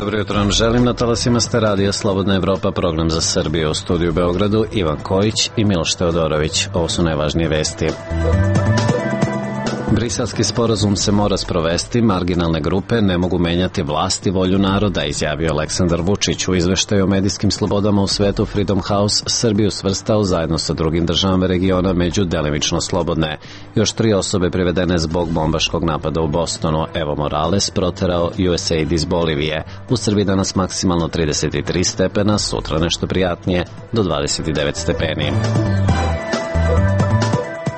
Dobro jutro vam želim, na talasima ste radija Slobodna Evropa, program za Srbiju. U studiju u Beogradu Ivan Kojić i Miloš Teodorović. Ovo su najvažnije vesti. Briselski sporazum se mora sprovesti, marginalne grupe ne mogu menjati vlast i volju naroda, izjavio Aleksandar Vučić. U izveštaju o medijskim slobodama u svetu Freedom House Srbiju svrstao zajedno sa drugim državama regiona među delimično slobodne. Još 3 osobe privedene zbog bombaškog napada u Bostonu. Evo Morales proterao USAID iz Bolivije. U Srbiji danas maksimalno 33 stepena, sutra nešto prijatnije do 29 stepeni.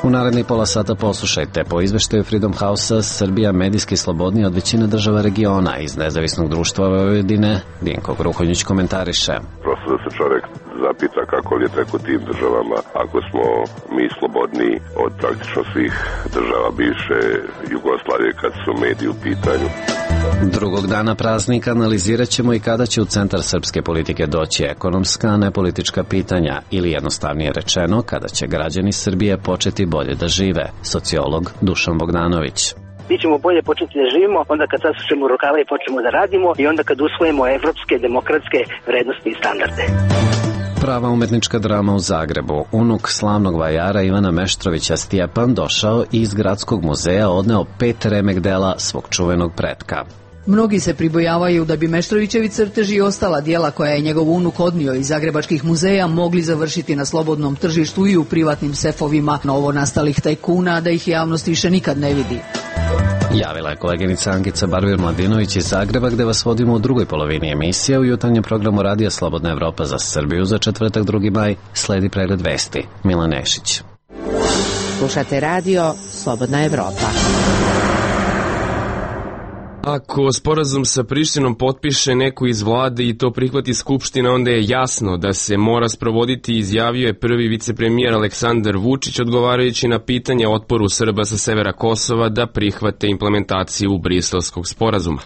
U narednih pola sata poslušajte. Po izveštaju Freedom House-a, Srbija medijski slobodnija od većine država regiona. Iz Nezavisnog društva Vojvodine Dinko Gruhonjić komentariše. Prosto da se čovjek zapita kako li je tek u tim državama, ako smo mi slobodniji od praktično svih država bivše Jugoslavije kad su mediji u pitanju. Drugog dana praznika analizirat ćemo i kada će u centar srpske politike doći ekonomska, a ne politička pitanja, ili jednostavnije rečeno, kada će građani Srbije početi bolje da žive. Sociolog Dušan Bogdanović. Mi ćemo bolje početi da živimo onda kad sasušemo rukave i počnemo da radimo i onda kad usvojimo evropske, demokratske vrednosti i standarde. Prava umetnička drama u Zagrebu. Unuk slavnog vajara Ivana Meštrovića Stjepan došao i iz Gradskog muzeja odneo 5 remek dela svog čuvenog pretka. Mnogi se pribojavaju da bi Meštrovićevi crteži i ostala dijela koja je njegov unuk odnio iz zagrebačkih muzeja mogli završiti na slobodnom tržištu i u privatnim sefovima novonastalih tajkuna, da ih javnost više nikad ne vidi. Javila je koleginica Ankica Barbir-Mladinović iz Zagreba, gde vas vodimo u drugoj polovini emisije. U jutarnjem programu Radija Slobodna Evropa za Srbiju za četvrtak 2. maj sledi pregled vesti. Milan Nešić. Slušate radio Slobodna Evropa. Ako sporazum sa Prištinom potpiše neko iz vlade i to prihvati Skupština, onda je jasno da se mora sprovoditi, izjavio je prvi vicepremijer Aleksandar Vučić, odgovarajući na pitanje o otporu Srba sa severa Kosova da prihvate implementaciju Briselskog sporazuma.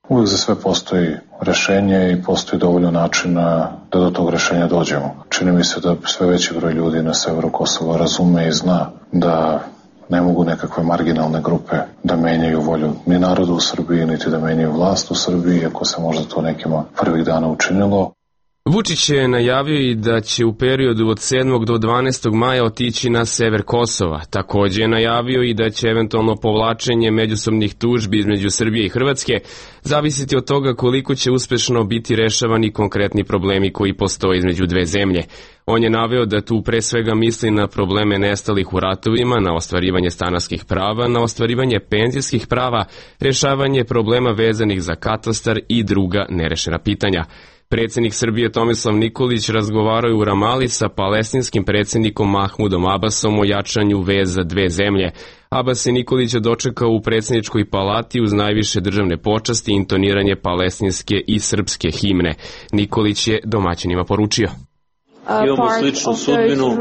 Uvijek za sve postoji rešenje i postoji dovoljno načina da do tog rešenja dođemo. Čini mi se da sve veći broj ljudi na severu Kosova razume i zna da ne mogu nekakve marginalne grupe da menjaju volju ni narodu u Srbiji, niti da menjaju vlast u Srbiji, iako se možda to nekima prvih dana učinilo. Vučić je najavio i da će u periodu od 7. do 12. maja otići na sever Kosova. Također je najavio i da će eventualno povlačenje međusobnih tužbi između Srbije i Hrvatske zavisiti od toga koliko će uspešno biti rešavani konkretni problemi koji postoje između dve zemlje. On je naveo da tu pre svega misli na probleme nestalih u ratovima, na ostvarivanje stanarskih prava, na ostvarivanje penzijskih prava, rešavanje problema vezanih za katastar i druga nerešena pitanja. Predsjednik Srbije Tomislav Nikolić razgovarao je u Ramali sa palestinskim predsjednikom Mahmudom Abbasom o jačanju veza dve zemlje. Abbas je Nikolića dočekao u predsjedničkoj palati uz najviše državne počasti i intoniranje palestinske i srpske himne. Nikolić je domaćinima poručio: Imamo sličnu sudbinu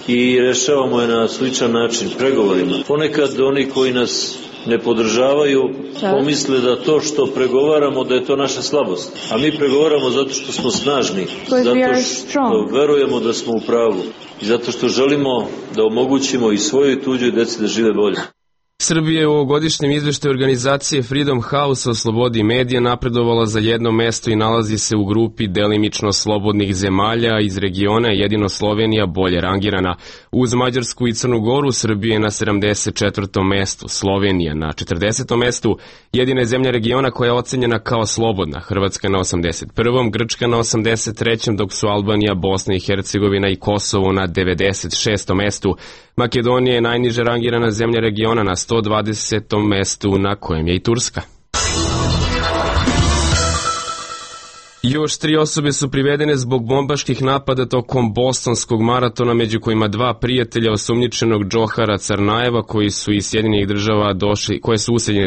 i rešavamo je na sličan način pregovorima. Ponekad oni koji nas ne podržavaju pomisle da to što pregovaramo da je to naša slabost. A mi pregovaramo zato što smo snažni, zato što verujemo da smo u pravu i zato što želimo da omogućimo i svojoj i tuđoj deci da žive bolje. Srbija je u ovogodišnjem izveštaju organizacije Freedom House o slobodi medija napredovala za 1 mesto i nalazi se u grupi delimično slobodnih zemalja. Iz regiona je jedino Slovenija bolje rangirana. Uz Mađarsku i Crnu Goru Srbija je na 74. mestu, Slovenija na 40. mestu, jedina je zemlja regiona koja je ocenjena kao slobodna, Hrvatska na 81. Grčka na 83. dok su Albanija, Bosna i Hercegovina i Kosovo na 96. mestu. Makedonija je najniže rangirana zemlja regiona na 120. mestu, na kojem je i Turska. Još 3 osobe su privedene zbog bombaških napada tokom bostonskog maratona, među kojima 2 prijatelja osumnjičenog Džohara Carnajeva koje su u Sjedinjenih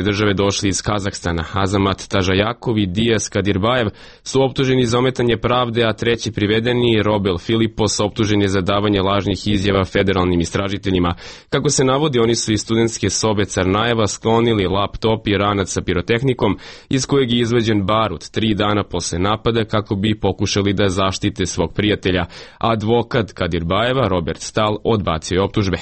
države došli iz Kazahstana. Azamat Tažajakov i Dijas Kadirbajev su optuženi za ometanje pravde, a treći privedeni, Robel Filipos, optužen je za davanje lažnih izjava federalnim istražiteljima. Kako se navodi, oni su iz studentske sobe Carnajeva sklonili laptop i ranac sa pirotehnikom, iz kojeg je izvađen barut. 3 dana posle napada slobode kako bi pokušali da zaštite svog prijatelja. Advokat Kadirbajeva, Robert Stahl, odbacio je optužbe.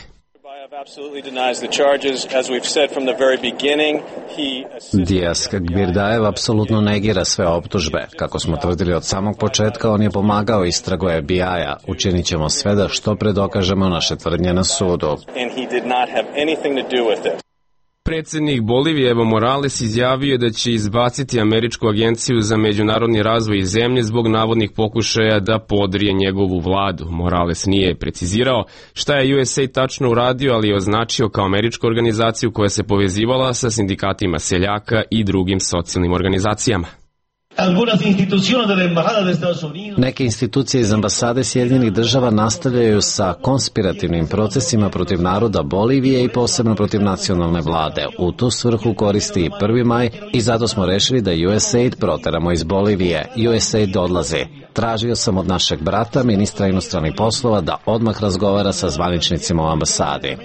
Dias Kadirbajeva apsolutno negira sve optužbe. Kako smo tvrdili od samog početka, on je pomagao istragu FBI-a. Učinit ćemo sve da što pre dokažemo naše tvrdnje na sudu. Predsednik Bolivije Evo Morales izjavio je da će izbaciti Američku agenciju za međunarodni razvoj iz zemlje zbog navodnih pokušaja da podrije njegovu vladu. Morales nije precizirao šta je USAID tačno uradio, ali je označio kao američku organizaciju koja se povezivala sa sindikatima seljaka i drugim socijalnim organizacijama. Neke institucije iz ambasade Sjedinjenih država nastavljaju sa konspirativnim procesima protiv naroda Bolivije i posebno protiv nacionalne vlade. U tu svrhu koristi i 1. maj i zato smo rešili da USAID proteramo iz Bolivije. USAID odlazi. Tražio sam od našeg brata, ministra inostranih poslova, da odmah razgovara sa zvaničnicima u ambasadi.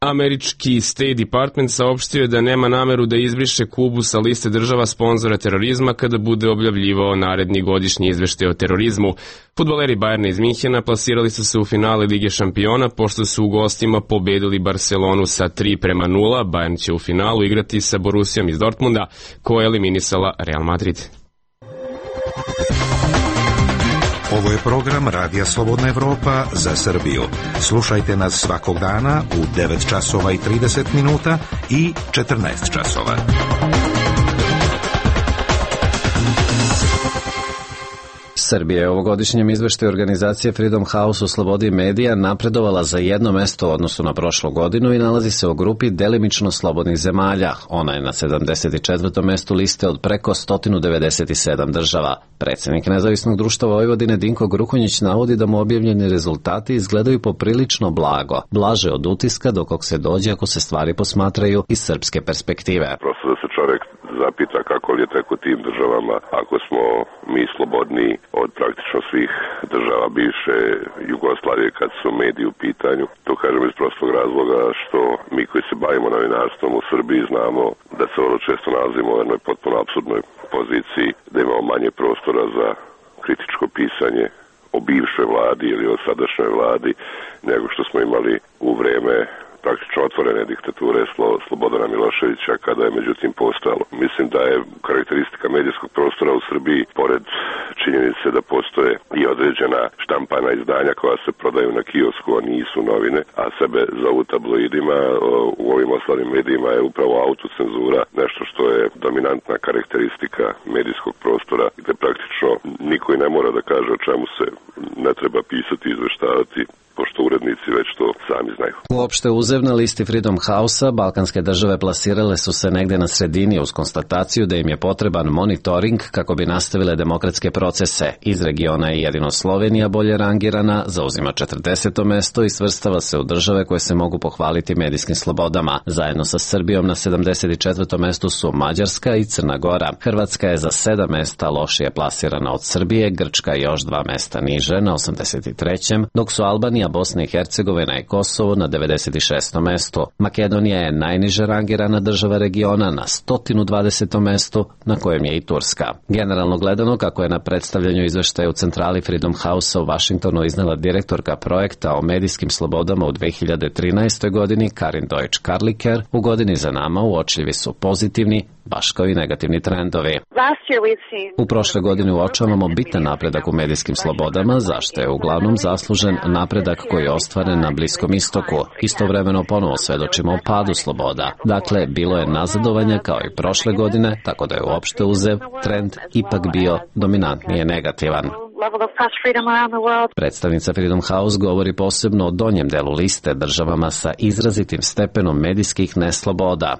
Američki State Department saopštio je da nema nameru da izbriše Kubu sa liste država sponzora terorizma kada bude objavljivao naredni godišnji izveštaj o terorizmu. Fudbaleri Bajerna iz Minhena plasirali su se u finale Lige šampiona pošto su u gostima pobedili Barcelonu sa 3-0. Bayern će u finalu igrati sa Borussijom iz Dortmunda, koja je eliminisala Real Madrid. Ovo je program Radija Slobodna Evropa za Srbiju. Slušajte nas svakog dana u 9 časova i 30 minuta i 14 časova. Srbija je u ovogodišnjem izveštaju organizacije Freedom House o slobodi medija napredovala za 1 mesto u odnosu na prošlu godinu i nalazi se u grupi delimično slobodnih zemalja. Ona je na 74. mestu liste od preko 197 država. Predsjednik Nezavisnog društva Vojvodine Dinko Gruhonjić navodi da mu objavljeni rezultati izgledaju poprilično blago, blaže od utiska do kog se dođe ako se stvari posmatraju iz srpske perspektive. Prosto da se čovjek zapita kako li je tek u tim državama ako smo mi slobodniji od praktično svih država bivše Jugoslavije kad su mediji u pitanju. To kažem iz prostog razloga što mi koji se bavimo novinarstvom u Srbiji znamo da se vrlo često nalazimo u jednoj potpuno apsurdnoj poziciji, da imamo manje prostora za kritičko pisanje o bivšoj vladi ili o sadašnjoj vladi nego što smo imali u vreme praktično otvorene diktature Slobodana Miloševića kada je međutim postojalo. Mislim da je karakteristika medijskog prostora u Srbiji, pored činjenice da postoje i određena štampana izdanja koja se prodaju na kiosku, a nisu novine, a sebe zovu tabloidima, u ovim ostalim medijima je upravo autocenzura, nešto što je dominantna karakteristika medijskog prostora, gde praktično niko i ne mora da kaže o čemu se ne treba pisati i izveštavati, pošto urednici već to sami znaju. Uopšte uzev na listi Freedom House-a, balkanske države plasirale su se negde na sredini uz konstataciju da im je potreban monitoring kako bi nastavile demokratske procese. Iz regiona je jedino Slovenija bolje rangirana, zauzima 40. mesto i svrstava se u države koje se mogu pohvaliti medijskim slobodama. Zajedno sa Srbijom na 74. mestu su Mađarska i Crna Gora. Hrvatska je za 7 mesta lošije plasirana od Srbije, Grčka još 2 mesta niže na 83. dok su Albanija, Bosna i Hercegovina i Kosovo na 96. mestu. Makedonija je najniže rangirana država regiona na 120. mestu, na kojem je i Turska. Generalno gledano, kako je na predstavljanju izveštaja u centrali Freedom House-a u Vašingtonu iznela direktorka projekta o medijskim slobodama u 2013. godini Karin Deutsch-Karliker, u godini za nama uočljivi su pozitivni, baš kao i negativni trendovi. U prošle godine uočavamo bitan napredak u medijskim slobodama, zašto je uglavnom zaslužen napredak koji je ostvaren na Bliskom istoku. Istovremeno ponovo svedočimo o padu sloboda. Dakle, bilo je nazadovanja kao i prošle godine, tako da je uopšte uzev trend ipak bio dominantnije negativan. Predstavnica Freedom House govori posebno o donjem delu liste državama sa izrazitim stepenom medijskih nesloboda.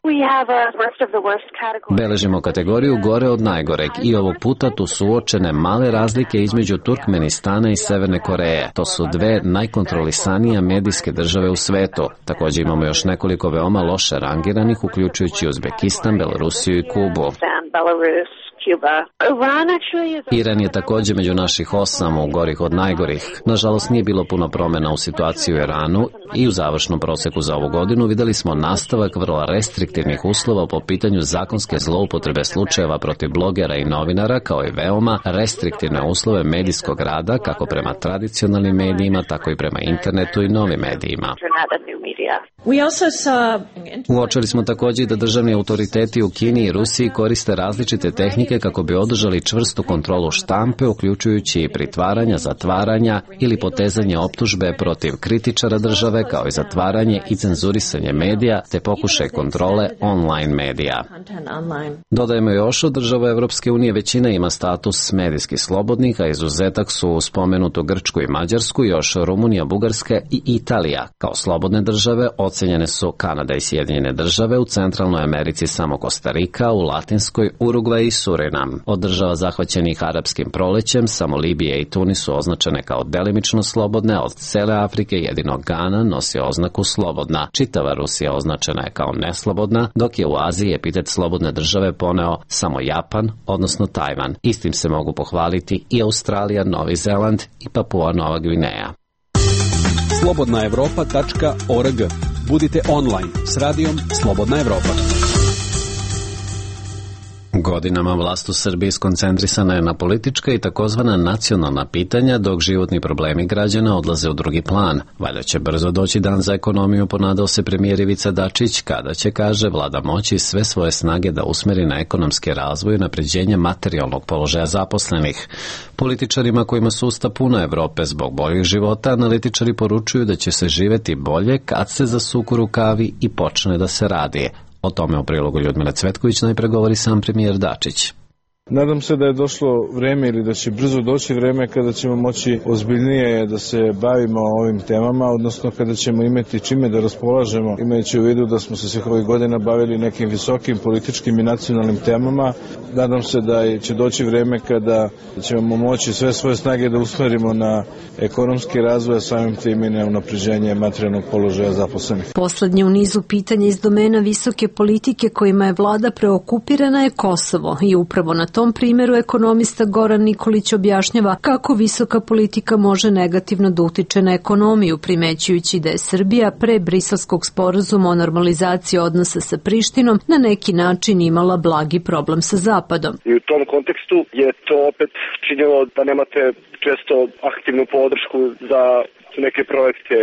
Beležimo kategoriju gore od najgoreg i ovog puta tu su uočene male razlike između Turkmenistana i Severne Koreje. To su dve najkontrolisanije medijske države u svetu. Također imamo još nekoliko veoma loše rangiranih, uključujući Uzbekistan, Belorusiju i Kubu. Iran je također među naših 8 gorih od najgorih. Nažalost, nije bilo puno promjena u situaciji u Iranu i u završnom proseku za ovu godinu vidjeli smo nastavak vrlo restriktivnih uslova po pitanju zakonske zloupotrebe slučajeva protiv blogera i novinara, kao i veoma restriktivne uslove medijskog rada, kako prema tradicionalnim medijima, tako i prema internetu i novim medijima. Uočili smo također da državni autoriteti u Kini i Rusiji koriste različite tehnike kako bi održali čvrstu kontrolu štampe, uključujući i pritvaranja, zatvaranja ili potezanje optužbe protiv kritičara države, kao i zatvaranje i cenzurisanje medija, te pokušaj kontrole online medija. Dodajemo još, od država Evropske unije većina ima status medijskih slobodnih, a izuzetak su u spomenutu Grčku i Mađarsku još Rumunija, Bugarska i Italija. Kao slobodne države ocenjene su Kanada i Sjedinjene države, u Centralnoj Americi samo Kostarika, u Latinskoj Urugvaj i Surinam. Od država zahvaćenih arapskim prolećem samo Libija i Tunis su označene kao delimično slobodne, od cele Afrike jedino Gana nosi oznaku slobodna. Čitava Rusija označena je kao neslobodna, dok je u Aziji epitet slobodne države poneo samo Japan, odnosno Tajvan. Istim se mogu pohvaliti i Australija, Novi Zeland i Papua Nova Gvineja. slobodnaevropa.org. Budite online s radijom Slobodna Evropa. Godinama vlast u Srbiji skoncentrisana je na politička i takozvana nacionalna pitanja, dok životni problemi građana odlaze u drugi plan. Valjda će brzo doći dan za ekonomiju, ponadao se premijer Ivica Dačić, kada će, kaže, vlada moći sve svoje snage da usmeri na ekonomski razvoj i unapređenje materijalnog položaja zaposlenih. Političarima kojima su usta puna Evrope zbog boljih života, analitičari poručuju da će se živeti bolje kad se zasuku rukavi i počne da se radi. O tome u prilogu Ljudmila Cvetković najpre govori sam premijer Dačić. Nadam se da je došlo vreme ili da će brzo doći vreme kada ćemo moći ozbiljnije da se bavimo ovim temama, odnosno kada ćemo imati čime da raspolažemo, imajući u vidu da smo se svih ovih godina bavili nekim visokim političkim i nacionalnim temama. Nadam se da će doći vreme kada ćemo moći sve svoje snage da usmerimo na ekonomski razvoj, a samim tim i na unapređenje materijalnog položaja zaposlenih. Poslednje u nizu pitanja iz domena visoke politike kojima je vlada preokupirana je Kosovo i upravo na tom primjeru ekonomista Goran Nikolić objašnjava kako visoka politika može negativno da utiče na ekonomiju, primećujući da je Srbija pre Briselskog sporazuma o normalizaciji odnosa sa Prištinom na neki način imala blagi problem sa Zapadom. I u tom kontekstu je to opet činilo da nemate često aktivnu podršku za neke projekte,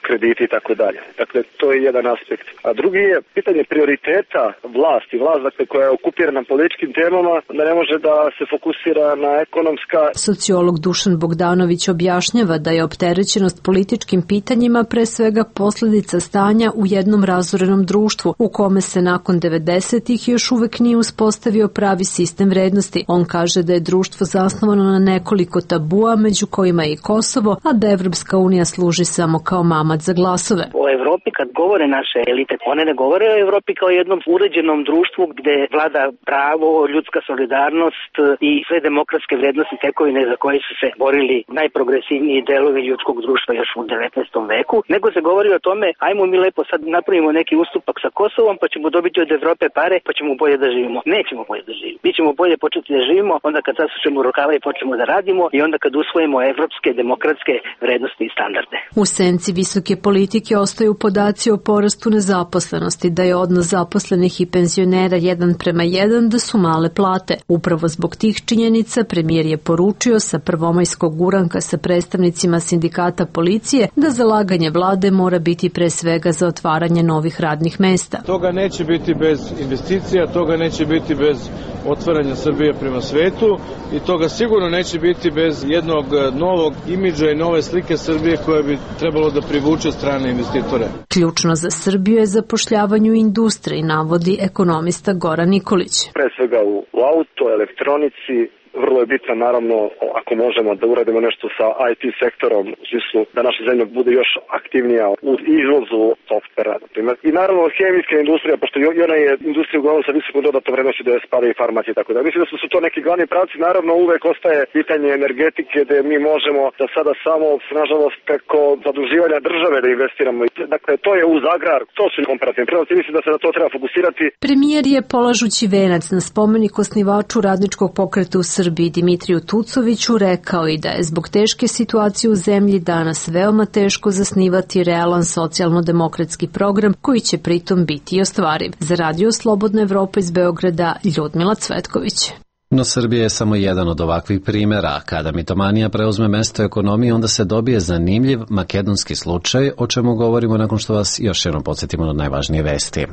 krediti i tako dalje. Dakle, to je jedan aspekt. A drugi je pitanje prioriteta vlasti. Vlast, dakle, koja je okupirana političkim temama, da ne može da se fokusira na ekonomska. Sociolog Dušan Bogdanović objašnjava da je opterećenost političkim pitanjima pre svega posljedica stanja u jednom razorenom društvu, u kome se nakon 90-ih još uvek nije uspostavio pravi sistem vrednosti. On kaže da je društvo zasnovano na nekoliko tabua, među kojima je i Kosovo, a da Evropska unija služi samo kao mama za glasove. O Evropi kad govore naše elite, one ne govore o Evropi kao jednom uređenom društvu gde vlada pravo, ljudska solidarnost i sve demokratske vrednosti tekovine za koje su se borili najprogresivniji delovi ljudskog društva još u 19. veku, nego se govori o tome, ajmo mi lepo sad napravimo neki ustupak sa Kosovom, pa ćemo dobiti od Evrope pare, pa ćemo bolje da živimo. Nećemo bolje da živimo. Mi ćemo bolje početi da živimo onda kad zasučemo rukava i počnemo da radimo i onda kad usvojimo evropske demokratske vrednosti i standarde. U senci visoke politike ostaju podaci o porastu nezaposlenosti, da je odnos zaposlenih i penzionera 1:1, da su male plate. Upravo zbog tih činjenica premijer je poručio sa prvomajskog uranka sa predstavnicima sindikata policije da zalaganje vlade mora biti pre svega za otvaranje novih radnih mesta. Toga neće biti bez investicija, toga neće biti bez otvaranja Srbije prema svetu i toga sigurno neće biti bez jednog novog imidža i nove slike Srbije koja bi trebalo da privuče strane investitore. Ključno za Srbiju je zapošljavanje u industriji, navodi ekonomista Goran Nikolić. Pre svega u auto, elektronici, vrlo je bitna, naravno, ako možemo da uradimo nešto sa IT sektorom, u smislu da naša zemlja bude još aktivnija u izvozu softvera, na primjer. I naravno, hemijska industrija, pošto i ona je industrija uglavnom sa visokom dodatnom vrednošću, da je spada i farmacija i tako da. Mislim da su to neki glavni pravci. Naravno, uvek ostaje pitanje energetike, gde mi možemo da sada samo, nažalost, preko zaduživanja države da investiramo. Dakle, to je uz agrar, to su komparativni prednosti. Mislim da se na to treba fokusirati. Premijer je polažući venac na spomenik osnivaču radničkog pokreta u Srbiji Dimitriju Tucoviću rekao i da je zbog teške situacije u zemlji danas veoma teško zasnivati realan socijalno-demokratski program koji će pritom biti i ostvariv. Za Radio Slobodna Evropa iz Beograda, Ljudmila Cvetković. No Srbija je samo jedan od ovakvih primjera. Kada mitomanija preuzme mesto ekonomije, onda se dobije zanimljiv makedonski slučaj, o čemu govorimo nakon što vas još jednom podsjetimo na najvažnije vesti.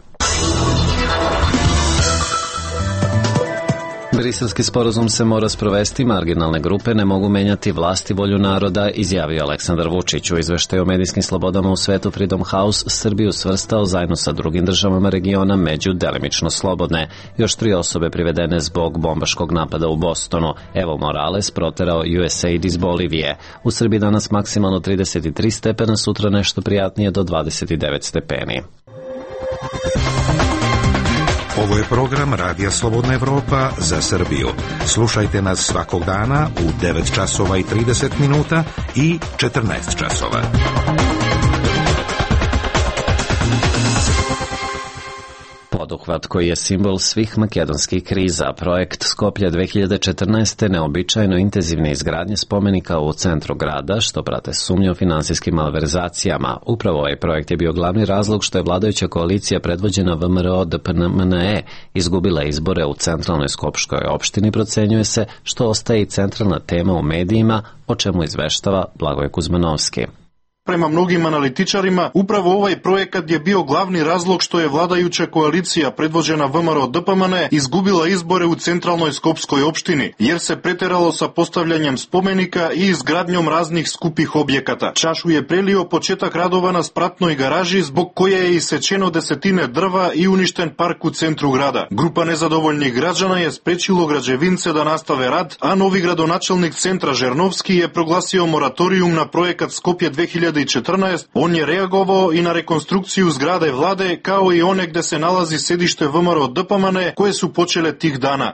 Briselski sporazum se mora sprovesti, marginalne grupe ne mogu menjati vlast i volju naroda, izjavio Aleksandar Vučić. U izveštaju o medijskim slobodama u svetu Freedom House Srbiju svrstao zajedno sa drugim državama regiona među delimično slobodne. Još 3 osobe privedene zbog bombaškog napada u Bostonu. Evo Morales proterao USAID iz Bolivije. U Srbiji danas maksimalno 33 stepena, sutra nešto prijatnije do 29 stepeni. Ovo je program Radija Slobodna Evropa za Srbiju. Slušajte nas svakog dana u 9 časova i 30 minuta i 14 časova. Poduhvat koji je simbol svih makedonskih kriza, projekt Skoplje 2014. neobičajno intenzivne izgradnje spomenika u centru grada, što prate sumnje o finansijskim malverzacijama. Upravo ovaj projekt je bio glavni razlog što je vladajuća koalicija predvođena VMRO-DPMNE izgubila izbore u centralnoj skopškoj opštini, procenjuje se, što ostaje i centralna tema u medijima, o čemu izveštava Blagoje Kuzmanovski. Prema mnogim analitičarima, upravo ovaj projekat je bio glavni razlog što je vladajuća koalicija predvođena VMRO-DPMNE izgubila izbore u centralnoj skopskoj opštini, jer se preteralo sa postavljanjem spomenika i izgradnjom raznih skupih objekata. Čašu je prelio početak radova na spratnoj garaži, zbog koje je isečeno desetine drva i uništen park u centru grada. Grupa nezadovoljnih građana je sprečilo građevince da nastave rad, a novi gradonačelnik centra Žernovski je proglasio moratorijum na projekat Skoplje 2014. On je reagovao i na rekonstrukciju zgrade vlade, kao i one gde se nalazi sedište VMRO-DPMNE, koje su počele tih dana.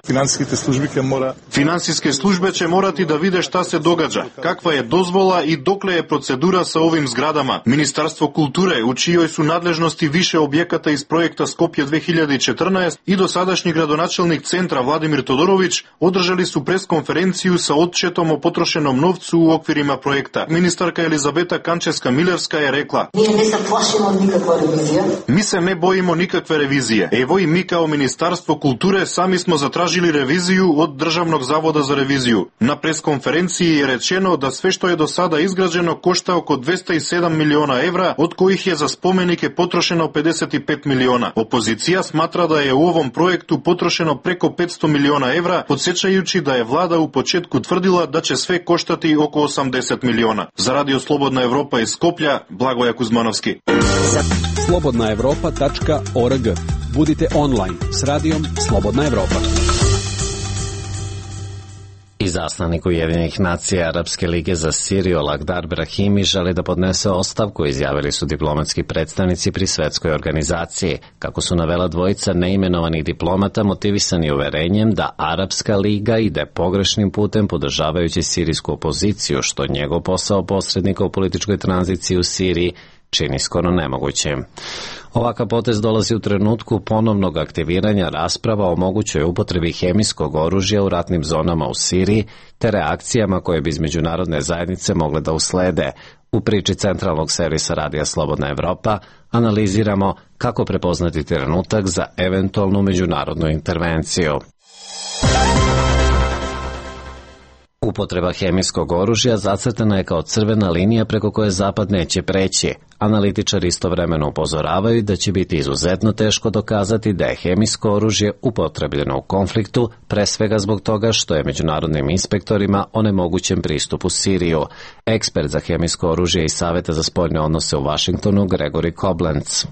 Finansijske službe će morati da vide šta se događa, kakva je dozvola i dokle je procedura sa ovim zgradama. Ministarstvo kulture, u čijoj su nadležnosti više objekata iz projekta Skoplje 2014, i dosadašnji gradonačelnik centra Vladimir Todorović održali su preskonferenciju sa odčetom o potrošenom novcu u okvirima projekta. Ministarka Elizabeta Kančevska-Milevska je rekla: Mi se ne bojimo nikakve revizije. Evo i mi kao Ministarstvo kulture sami smo zatražili reviziju od Državnog zavoda za reviziju. Na preskonferenciji je rečeno da sve što je do sada izgrađeno košta oko 207 miliona evra, od kojih je za spomenike potrošeno 55 miliona. Opozicija smatra da je u ovom projektu potrošeno preko 500 miliona evra, podsjećajući da je vlada u početku tvrdila da će sve koštati oko 80 miliona. Za Radio Slobodna Evropa iz Skoplja, Blagoje Kuzmanovski. slobodnaevropa.org. Budite online s radijom Slobodna Evropa. Izaslanik Ujedinjenih nacija Arapske lige za Siriju Lakhdar Brahimi želi da podnese ostavku, izjavili su diplomatski predstavnici pri svetskoj organizaciji. Kako su navela dvojica neimenovanih diplomata, motivisani uverenjem da Arapska liga ide pogrešnim putem podržavajući sirijsku opoziciju, što njegov posao posrednika u političkoj tranziciji u Siriji čini skoro nemogućim. Ovakav potez dolazi u trenutku ponovnog aktiviranja rasprava o mogućoj upotrebi hemijskog oružja u ratnim zonama u Siriji, te reakcijama koje bi iz međunarodne zajednice mogle da uslede. U priči centralnog servisa Radija Slobodna Evropa analiziramo kako prepoznati trenutak za eventualnu međunarodnu intervenciju. Upotreba hemijskog oružja zacrtana je kao crvena linija preko koje Zapad neće preći, Analitičari istovremeno upozoravaju da će biti izuzetno teško dokazati da je hemijsko oružje upotrebljeno u konfliktu, pre svega zbog toga što je međunarodnim inspektorima onemogućen pristup u Siriju. Ekspert za hemijsko oružje iz Saveta za spoljne odnose u Vašingtonu, Gregory Koblenz.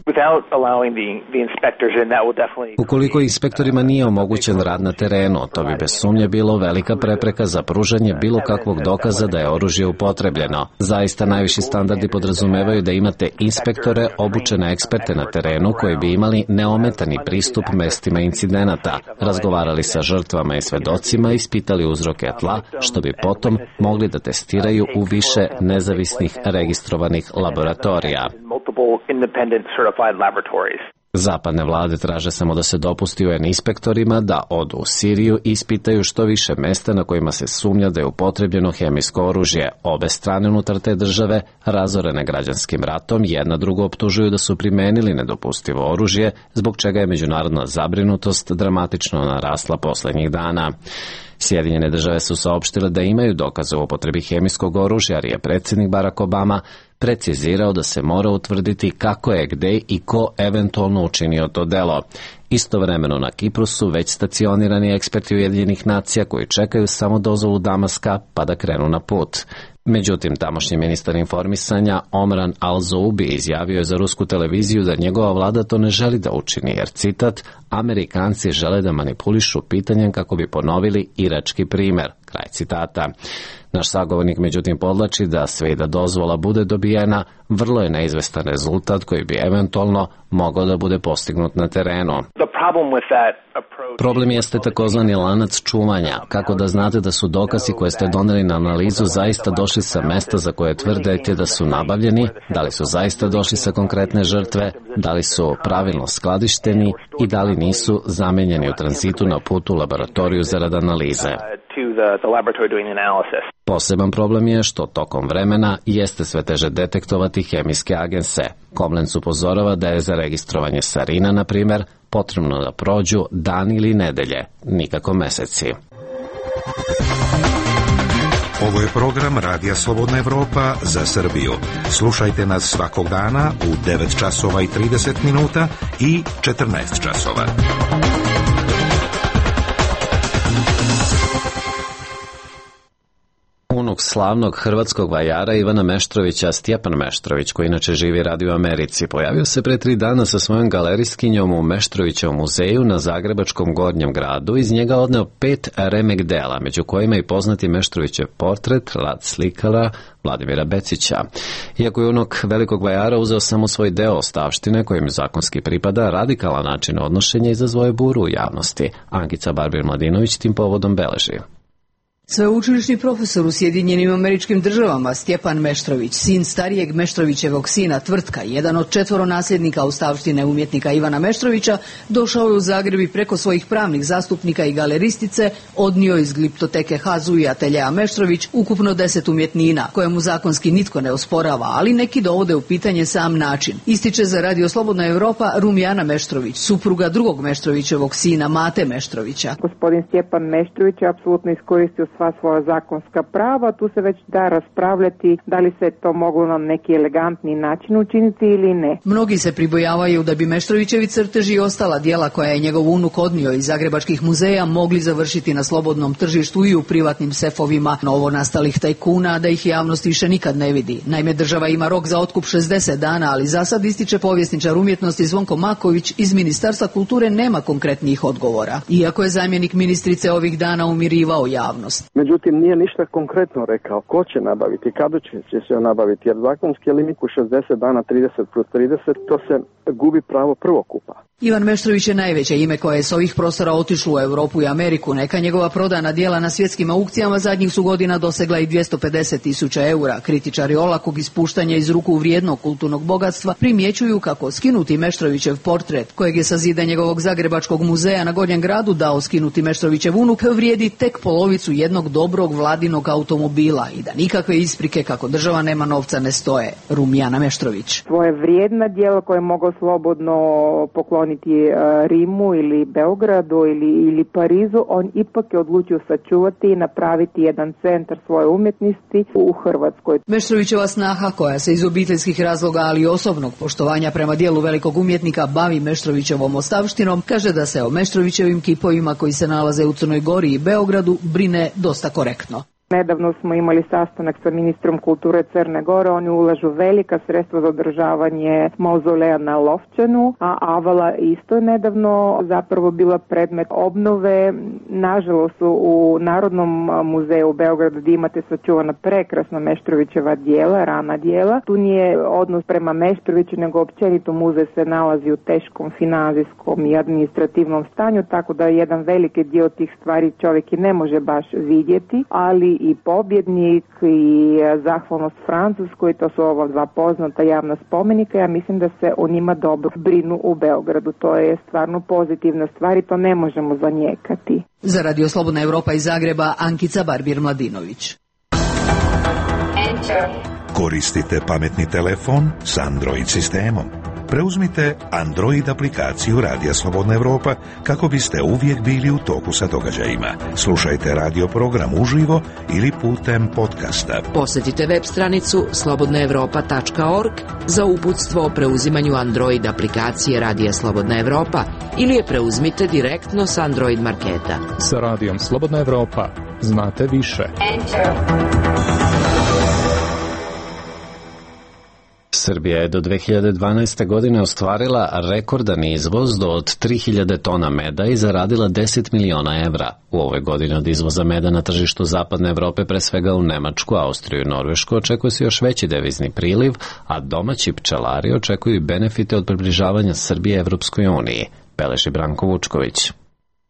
Ukoliko inspektorima nije omogućen rad na terenu, to bi bez sumnje bilo velika prepreka za pružanje bilo kakvog dokaza da je oružje upotrebljeno. Zaista najviši standardi podrazumevaju da imate inspektore, obučene eksperte na terenu koji bi imali neometani pristup mestima incidenata, razgovarali sa žrtvama i svedocima, ispitali uzroke tla, što bi potom mogli da testiraju u više nezavisnih registrovanih laboratorija. Zapadne vlade traže samo da se dopusti UN inspektorima da odu u Siriju i ispitaju što više mesta na kojima se sumnja da je upotrebljeno hemijsko oružje. Obe strane unutar te države, razorene građanskim ratom, jedna drugu optužuju da su primenili nedopustivo oružje, zbog čega je međunarodna zabrinutost dramatično narasla poslednjih dana. Sjedinjene države su saopštile da imaju dokaze o upotrebi hemijskog oružja, jer je predsjednik Barack Obama precizirao da se mora utvrditi kako je, gde i ko eventualno učinio to delo. Istovremeno na Kipru su već stacionirani eksperti Ujedinjenih nacija koji čekaju samo dozvolu Damaska pa da krenu na put. Međutim, tamošnji ministar informisanja Omran Al-Zoubi izjavio je za rusku televiziju da njegova vlada to ne želi da učini, jer, citat, Amerikanci žele da manipulišu pitanjem kako bi ponovili irački primer, kraj citata. Naš sagovornik međutim podlači da sve i da dozvola bude dobijena, vrlo je neizvestan rezultat koji bi eventualno mogao da bude postignut na terenu. Problem jeste takozvani lanac čuvanja. Kako da znate da su dokazi koje ste doneli na analizu zaista došli sa mesta za koje tvrdite da su nabavljeni, da li su zaista došli sa konkretne žrtve, da li su pravilno skladišteni i da li nisu zamenjeni u tranzitu na putu u laboratoriju zarad analize. Poseban problem je što tokom vremena jeste sve teže detektovati hemijske agense. Koblenz upozorava da je za registrovanje sarina, na primjer, potrebno da prođu dani ili nedelje, nikako meseci. Ovo je program Radija Slobodna Evropa za Srbiju. Slušajte nas svakog dana u 9 časova i 30 minuta i 14 časova. Unuk slavnog hrvatskog vajara Ivana Meštrovića, Stjepan Meštrović, koji inače živi i radi u Americi, pojavio se pre 3 dana sa svojom galerijskinjom u Meštrovićevom muzeju na zagrebačkom Gornjem gradu. Iz njega odneo 5 remek dela, među kojima i poznati Meštrovićev portret, rad slikara Vladimira Becića. Iako je unuk velikog vajara uzeo samo svoj deo ostavštine, kojim zakonski pripada, radikalan način odnošenja izazvao je buru u javnosti. Ankica Barbir-Mladinović tim povodom beleži. Sveučilišni profesor u Sjedinjenim Američkim Državama Stjepan Meštrović, sin starijeg Meštrovićevog sina Tvrtka, jedan od 4 nasljednika ostavštine umjetnika Ivana Meštrovića, došao je u Zagreb i preko svojih pravnih zastupnika i galeristice odnio iz gliptoteke Hazu i ateljeja Meštrović ukupno 10 umjetnina, koje mu zakonski nitko ne osporava, ali neki dovode u pitanje sam način. Ističe za Radio Slobodna Evropa Rumjana Meštrović, supruga drugog Meštrovićevog sina Mate Meštrovića. Gospodin Stjepan Meštrović je apsolutno iskoristio sva svoja zakonska prava, tu se već da raspravljati da li se to moglo na neki elegantni način učiniti ili ne. Mnogi se pribojavaju da bi Meštrovićevi crteži i ostala djela koja je njegov unuk odnio iz zagrebačkih muzeja mogli završiti na slobodnom tržištu i u privatnim sefovima novonastalih tajkuna, da ih javnost više nikad ne vidi. Naime, država ima rok za otkup 60 dana, ali za sad, ističe povjesničar umjetnosti Zvonko Maković, iz Ministarstva kulture nema konkretnih odgovora, iako je zamjenik ministrice ovih dana umirivao javnost. Međutim, nije ništa konkretno rekao ko će nabaviti, kada će se nabaviti, jer zakonski limit u 60 dana 30+30, to se gubi pravo prvokupa. Ivan Meštrović je najveće ime koje je s ovih prostora otišlo u Europu i Ameriku. Neka njegova prodana djela na svjetskim aukcijama zadnjih su godina dosegla i 250.000 eura. Kritičari olakog ispuštanja iz ruku vrijednog kulturnog bogatstva primjećuju kako skinuti Meštrovićev portret, kojeg je sa zida njegovog zagrebačkog muzeja na Gornjem gradu dao skinuti Meštrovićev unuk, vrijedi tek polovicu jednog dobrog vladinog automobila i da nikakve isprike kako država nema novca ne stoje. Rumjana Meštrović. Svoje vrijedna djela koje mogu slobodno pokloniti pokloniti Rimu ili Beogradu ili Parizu, on ipak je odlučio sačuvati i napraviti jedan centar svoje umjetnosti u Hrvatskoj. Meštrovićeva snaha, koja se iz obiteljskih razloga, ali i osobnog poštovanja prema dijelu velikog umjetnika bavi Meštrovićevom ostavštinom, kaže da se o Meštrovićevim kipovima koji se nalaze u Crnoj Gori i Beogradu brine dosta korektno. Nedavno smo imali sastanak sa ministrom kulture Crne Gore, oni ulažu velika sredstva za održavanje mauzoleja na Lovćanu, a Avala isto je nedavno zapravo bila predmet obnove. Nažalost u Narodnom muzeju u Beogradu gdje imate sačuvana prekrasna Meštrovićeva dijela, rana dijela. Tu nije odnos prema Meštroviću, nego općenito muzej se nalazi u teškom financijskom i administrativnom stanju, tako da jedan veliki dio tih stvari čovjek i ne može baš vidjeti, ali i pobjednik i zahvalnost Francuskoj, to su ova dva poznata javna spomenika. Ja mislim da se o njima dobro brinu u Beogradu. To je stvarno pozitivna stvar i to ne možemo zanijekati. Za Radio Slobodna Evropa iz Zagreba, Ankica Barbir-Mladinović. Koristite pametni telefon s Android sistemom. Preuzmite Android aplikaciju Radija Slobodna Evropa kako biste uvijek bili u toku sa događajima. Slušajte radio program uživo ili putem podcasta. Posjetite web stranicu slobodnaevropa.org za uputstvo o preuzimanju Android aplikacije Radija Slobodna Evropa ili je preuzmite direktno s Android marketa. Sa Radijom Slobodna Evropa znate više. Srbija je do 2012. godine ostvarila rekordan izvoz do od 3000 tona meda i zaradila 10 miliona evra. U ovoj godini od izvoza meda na tržištu Zapadne Evrope, pre svega u Nemačku, Austriju i Norvešku, očekuje se još veći devizni priliv, a domaći pčelari očekuju benefite od približavanja Srbije Evropskoj uniji. Beleži Branko Vučković.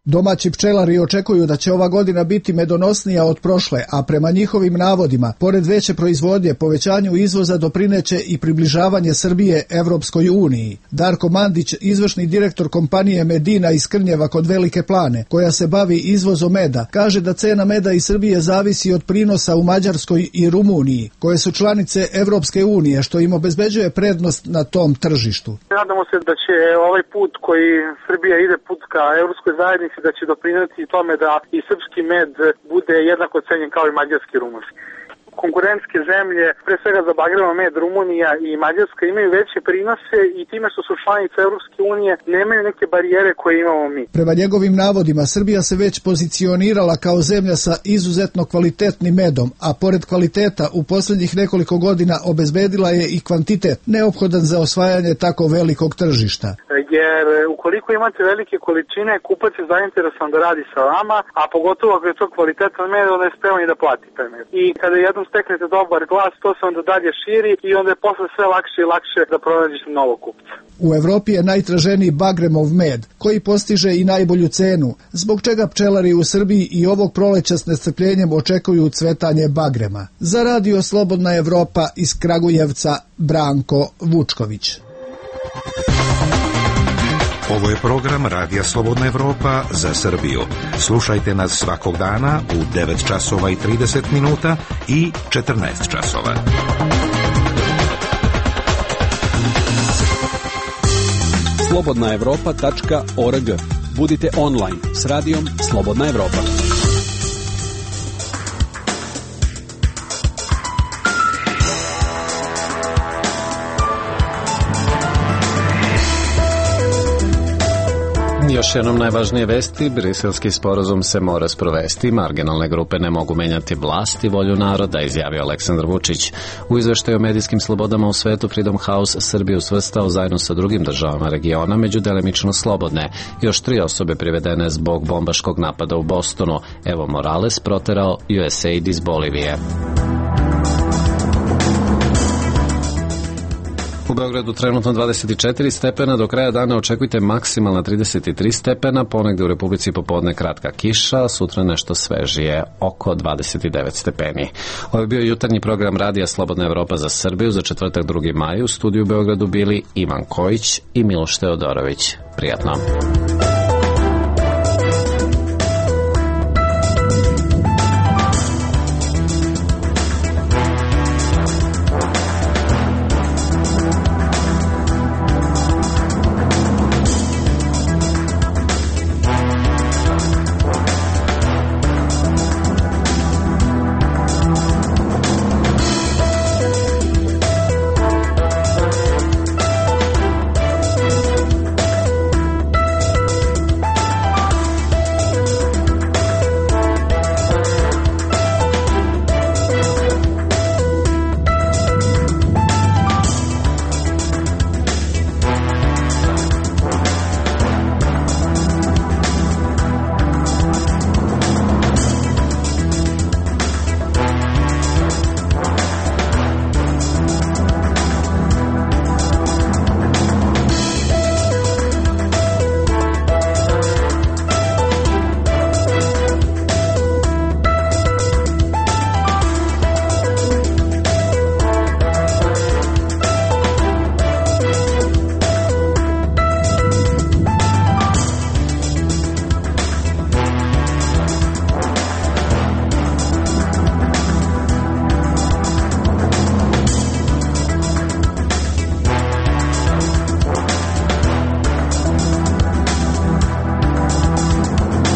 Domaći pčelari očekuju da će ova godina biti medonosnija od prošle, a prema njihovim navodima, pored veće proizvodnje, povećanju izvoza doprineće i približavanje Srbije Evropskoj uniji. Darko Mandić, izvršni direktor kompanije Medina iz Krnjeva kod Velike Plane, koja se bavi izvozom meda, kaže da cena meda iz Srbije zavisi od prinosa u Mađarskoj i Rumuniji, koje su članice Evropske unije, što im obezbeđuje prednost na tom tržištu. Nadamo se da će ovaj put koji Srbija ide put ka Evropskoj zajednici da će doprinijeti tome da i srpski med bude jednako cenjen kao i mađarski i rumunski. Konkurentske zemlje, pre svega za bagrema med, Rumunija i Mađarska, imaju veće prinose i time što su članice Evropske unije nemaju neke barijere koje imamo mi. Prema njegovim navodima, Srbija se već pozicionirala kao zemlja sa izuzetno kvalitetnim medom, a pored kvaliteta u posljednjih nekoliko godina obezbedila je i kvantitet neophodan za osvajanje tako velikog tržišta. Jer ukoliko imate velike količine, kupac je zainteresovan da radi sa vama, a pogotovo ako je to kvalitetan med, onda je spreman i da plati taj med. I kada jednom steknete dobar glas, to se onda dalje širi i onda je posle sve lakše i lakše da pronađete novog kupca. U Evropi je najtraženiji bagremov med, koji postiže i najbolju cenu, zbog čega pčelari u Srbiji i ovog proleća s nestrpljenjem očekuju cvetanje bagrema. Za Radio Slobodna Evropa iz Kragujevca, Branko Vučković. Ovo je program Radija Slobodna Evropa za Srbiju. Slušajte nas svakog dana u 9 časova i 30 minuta i 14 časova. slobodnaevropa.org. Budite online s radijom Slobodna Evropa. Još jednom najvažnije vesti, briselski sporazum se mora sprovesti, marginalne grupe ne mogu menjati vlast i volju naroda, izjavio Aleksandar Vučić. U izveštaju o medijskim slobodama u svetu Freedom House Srbiju svrstao zajedno sa drugim državama regiona među delimično slobodne. Još 3 osobe privedene zbog bombaškog napada u Bostonu. Evo Morales proterao USAID iz Bolivije. U Beogradu trenutno 24 stepena, do kraja dana očekujte maksimalna 33 stepena, ponegde u Republici popodne kratka kiša, sutra nešto svežije, oko 29 stepeni. Ovo je bio jutarnji program Radija Slobodna Evropa za Srbiju za četvrtak 2. maj. U studiju u Beogradu bili Ivan Kojić i Miloš Teodorović. Prijatno.